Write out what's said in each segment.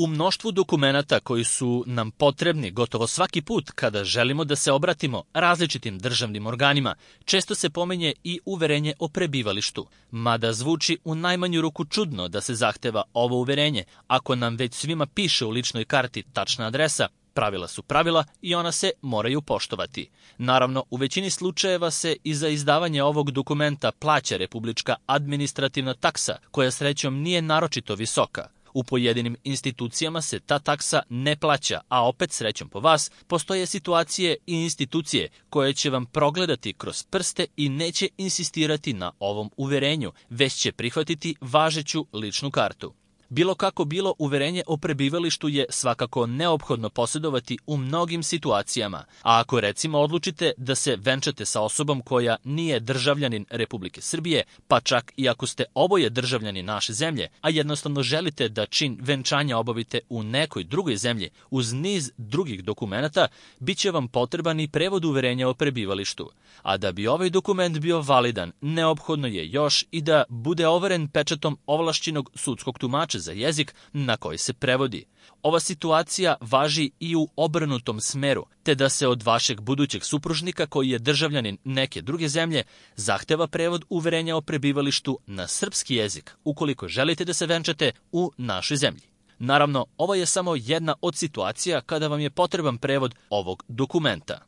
U mnoštvu dokumenata koji su nam potrebni gotovo svaki put kada želimo da se obratimo različitim državnim organima, često se pominje i uverenje o prebivalištu. Mada zvuči u najmanju ruku čudno da se zahteva ovo uverenje, ako nam već svima piše u ličnoj karti tačna adresa. Pravila su pravila i ona se moraju poštovati. Naravno, u većini slučajeva se i za izdavanje ovog dokumenta plaća republička administrativna taksa, koja srećom nije naročito visoka. U pojedinim institucijama se ta taksa ne plaća, a opet srećom po vas, postoje situacije i institucije koje će vam progledati kroz prste i neće insistirati na ovom uverenju, već će prihvatiti važeću ličnu kartu. Bilo kako bilo, uverenje o prebivalištu je svakako neophodno posjedovati u mnogim situacijama, a ako recimo odlučite da se venčate sa osobom koja nije državljanin Republike Srbije, pa čak i ako ste oboje državljani naše zemlje, a jednostavno želite da čin venčanja obavite u nekoj drugoj zemlji uz niz drugih dokumenata, bit će vam potreban i prevod uverenja o prebivalištu. A da bi ovaj dokument bio validan, neophodno je još i da bude overen pečatom ovlašćenog sudskog tumača za jezik na koji se prevodi. Ova situacija važi i u obrnutom smeru, te da se od vašeg budućeg supružnika koji je državljanin neke druge zemlje zahteva prevod uverenja o prebivalištu na srpski jezik ukoliko želite da se venčate u našoj zemlji. Naravno, ovo je samo jedna od situacija kada vam je potreban prevod ovog dokumenta.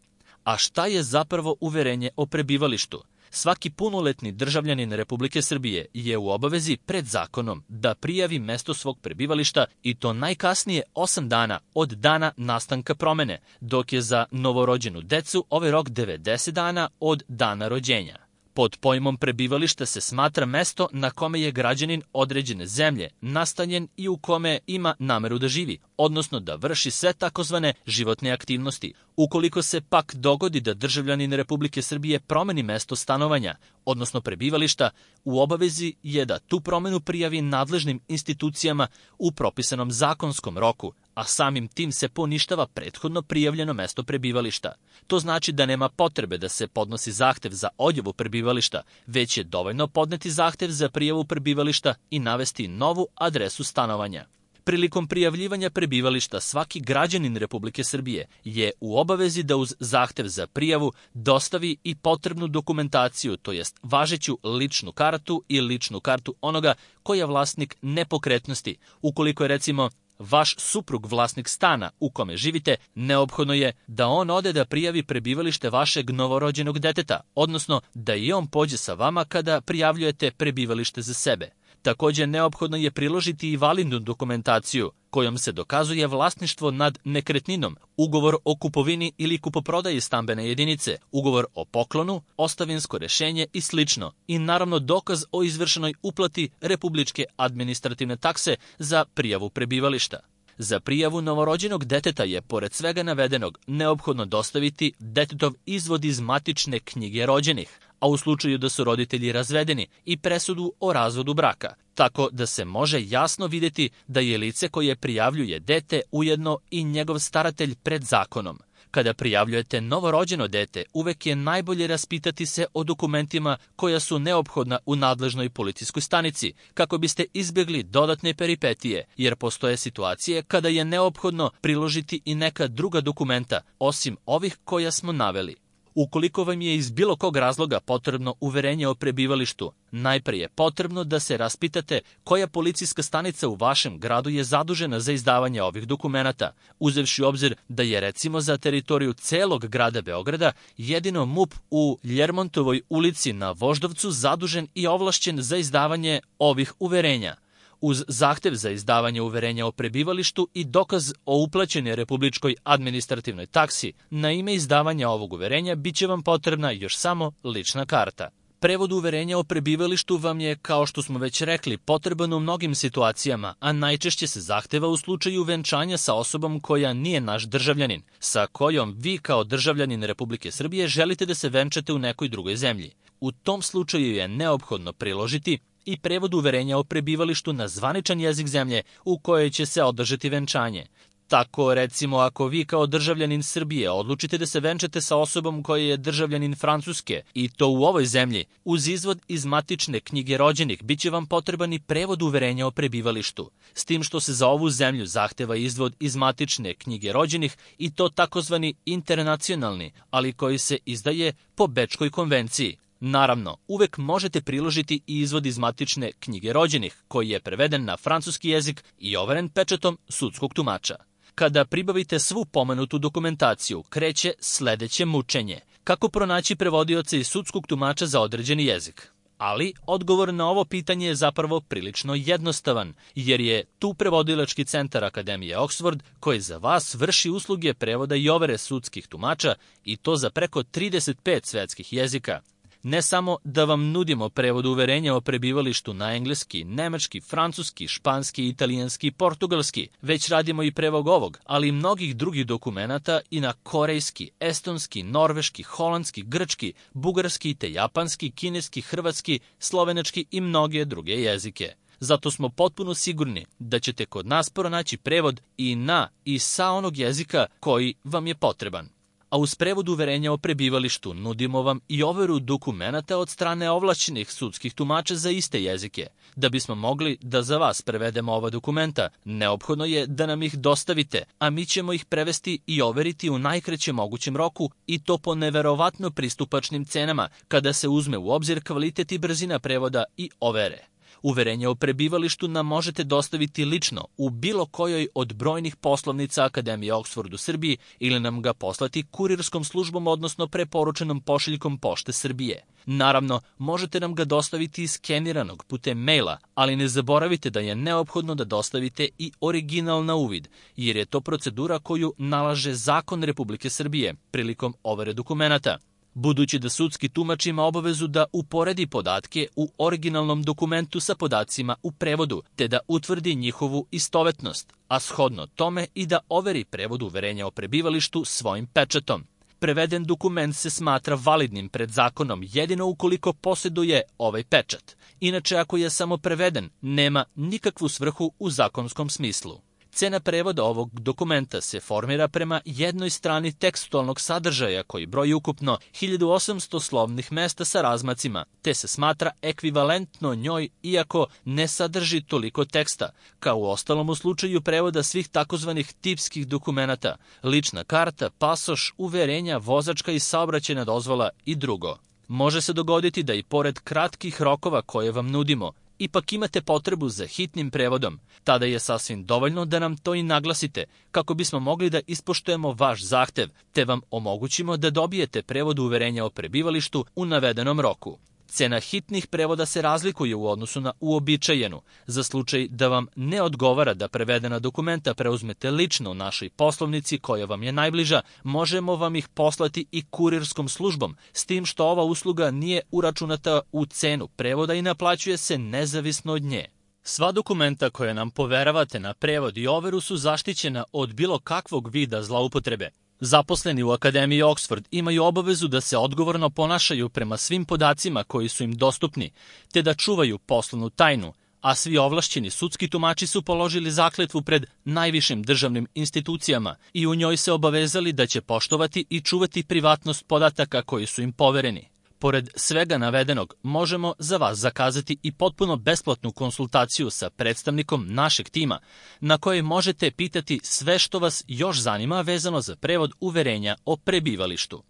A šta je zapravo uverenje o prebivalištu? Svaki punoletni državljanin Republike Srbije je u obavezi pred zakonom da prijavi mesto svog prebivališta i to najkasnije 8 dana od dana nastanka promene, dok je za novorođenu decu ovaj rok 90 dana od dana rođenja. Pod pojmom prebivališta se smatra mesto na kome je građanin određene zemlje nastanjen i u kome ima nameru da živi, odnosno da vrši sve takozvane životne aktivnosti. Ukoliko se pak dogodi da državljanin Republike Srbije promeni mesto stanovanja, odnosno prebivališta, u obavezi je da tu promenu prijavi nadležnim institucijama u propisanom zakonskom roku, a samim tim se poništava prethodno prijavljeno mesto prebivališta. To znači da nema potrebe da se podnosi zahtev za odjavu prebivališta, već je dovoljno podneti zahtev za prijavu prebivališta i navesti novu adresu stanovanja. Prilikom prijavljivanja prebivališta svaki građanin Republike Srbije je u obavezi da uz zahtev za prijavu dostavi i potrebnu dokumentaciju, to jest važeću ličnu kartu i ličnu kartu onoga koji je vlasnik nepokretnosti. Ukoliko je recimo vaš suprug vlasnik stana u kome živite, neophodno je da on ode da prijavi prebivalište vašeg novorođenog deteta, odnosno da i on pođe sa vama kada prijavljujete prebivalište za sebe. Također neophodno je priložiti i validnu dokumentaciju kojom se dokazuje vlasništvo nad nekretninom, ugovor o kupovini ili kupoprodaji stambene jedinice, ugovor o poklonu, ostavinsko rešenje i sl. I naravno dokaz o izvršenoj uplati republičke administrativne takse za prijavu prebivališta. Za prijavu novorođenog deteta je, pored svega navedenog, neophodno dostaviti detetov izvod iz matične knjige rođenih, a u slučaju da su roditelji razvedeni i presudu o razvodu braka, tako da se može jasno vidjeti da je lice koje prijavljuje dete ujedno i njegov staratelj pred zakonom. Kada prijavljujete novorođeno dete, uvek je najbolje raspitati se o dokumentima koja su neophodna u nadležnoj policijskoj stanici, kako biste izbjegli dodatne peripetije, jer postoje situacije kada je neophodno priložiti i neka druga dokumenta, osim ovih koja smo naveli. Ukoliko vam je iz bilo kog razloga potrebno uverenje o prebivalištu, najprije je potrebno da se raspitate koja policijska stanica u vašem gradu je zadužena za izdavanje ovih dokumenata, uzevši u obzir da je recimo za teritoriju celog grada Beograda jedino MUP u Ljermontovoj ulici na Voždovcu zadužen i ovlašćen za izdavanje ovih uverenja. Uz zahtev za izdavanje uverenja o prebivalištu i dokaz o uplaćenoj republičkoj administrativnoj taksi, na ime izdavanja ovog uverenja bit će vam potrebna još samo lična karta. Prevod uverenja o prebivalištu vam je, kao što smo već rekli, potreban u mnogim situacijama, a najčešće se zahteva u slučaju venčanja sa osobom koja nije naš državljanin, sa kojom vi kao državljanin Republike Srbije želite da se venčate u nekoj drugoj zemlji. U tom slučaju je neophodno priložiti i prevod uverenja o prebivalištu na zvaničan jezik zemlje u kojoj će se održati venčanje. Tako, recimo, ako vi kao državljanin Srbije odlučite da se venčate sa osobom koja je državljanin Francuske i to u ovoj zemlji, uz izvod iz matične knjige rođenih biće vam potreban i prevod uverenja o prebivalištu, s tim što se za ovu zemlju zahteva izvod iz matične knjige rođenih i to takozvani internacionalni, ali koji se izdaje po Bečkoj konvenciji. Naravno, uvek možete priložiti i izvod iz matične knjige rođenih, koji je preveden na francuski jezik i overen pečatom sudskog tumača. Kada pribavite svu pomenutu dokumentaciju, kreće sledeće mučenje. Kako pronaći prevodioca i sudskog tumača za određeni jezik? Ali odgovor na ovo pitanje je zapravo prilično jednostavan, jer je tu prevodilački centar Akademije Oxford koji za vas vrši usluge prevoda i overe sudskih tumača i to za preko 35 svetskih jezika. Ne samo da vam nudimo prevod uverenja o prebivalištu na engleski, nemački, francuski, španski, italijanski i portugalski, već radimo i prevod ovog, ali i mnogih drugih dokumenata i na korejski, estonski, norveški, holandski, grčki, bugarski te japanski, kineski, hrvatski, slovenački i mnoge druge jezike. Zato smo potpuno sigurni da ćete kod nas pronaći prevod i na i sa onog jezika koji vam je potreban. A uz prevod uverenja o prebivalištu nudimo vam i overu dokumenata od strane ovlašćenih sudskih tumača za iste jezike. Da bismo mogli da za vas prevedemo ova dokumenta, neophodno je da nam ih dostavite, a mi ćemo ih prevesti i overiti u najkraćem mogućem roku i to po neverovatno pristupačnim cenama kada se uzme u obzir kvalitet i brzina prevoda i overe. Uverenje o prebivalištu nam možete dostaviti lično u bilo kojoj od brojnih poslovnica Akademije Oxford u Srbiji ili nam ga poslati kurirskom službom, odnosno preporučenom pošiljkom Pošte Srbije. Naravno, možete nam ga dostaviti skeniranog putem maila, ali ne zaboravite da je neophodno da dostavite i original na uvid, jer je to procedura koju nalaže Zakon Republike Srbije prilikom overe dokumenata. Budući da sudski tumač ima obavezu da uporedi podatke u originalnom dokumentu sa podacima u prevodu, te da utvrdi njihovu istovetnost, a shodno tome i da overi prevod uverenja o prebivalištu svojim pečatom. Preveden dokument se smatra validnim pred zakonom jedino ukoliko posjeduje ovaj pečat. Inače, ako je samo preveden, nema nikakvu svrhu u zakonskom smislu. Cena prevoda ovog dokumenta se formira prema jednoj strani tekstualnog sadržaja koji broji ukupno 1800 slovnih mesta sa razmacima, te se smatra ekvivalentno njoj iako ne sadrži toliko teksta, kao u ostalom u slučaju prevoda svih takozvanih tipskih dokumenata, lična karta, pasoš, uverenja, vozačka i saobraćajna dozvola i drugo. Može se dogoditi da i pored kratkih rokova koje vam nudimo, ipak imate potrebu za hitnim prevodom. Tada je sasvim dovoljno da nam to i naglasite, kako bismo mogli da ispoštujemo vaš zahtev, te vam omogućimo da dobijete prevod uverenja o prebivalištu u navedenom roku. Cena hitnih prevoda se razlikuje u odnosu na uobičajenu. Za slučaj da vam ne odgovara da prevedena dokumenta preuzmete lično u našoj poslovnici koja vam je najbliža, možemo vam ih poslati i kurirskom službom, s tim što ova usluga nije uračunata u cenu prevoda i naplaćuje se nezavisno od nje. Sva dokumenta koje nam poveravate na prevod i overu su zaštićena od bilo kakvog vida zloupotrebe. Zaposleni u Akademiji Oxford imaju obavezu da se odgovorno ponašaju prema svim podacima koji su im dostupni, te da čuvaju poslovnu tajnu, a svi ovlašćeni sudski tumači su položili zakletvu pred najvišim državnim institucijama i u njoj se obavezali da će poštovati i čuvati privatnost podataka koji su im povereni. Pored svega navedenog, možemo za vas zakazati i potpuno besplatnu konsultaciju sa predstavnikom našeg tima, na kojoj možete pitati sve što vas još zanima vezano za prevod uverenja o prebivalištu.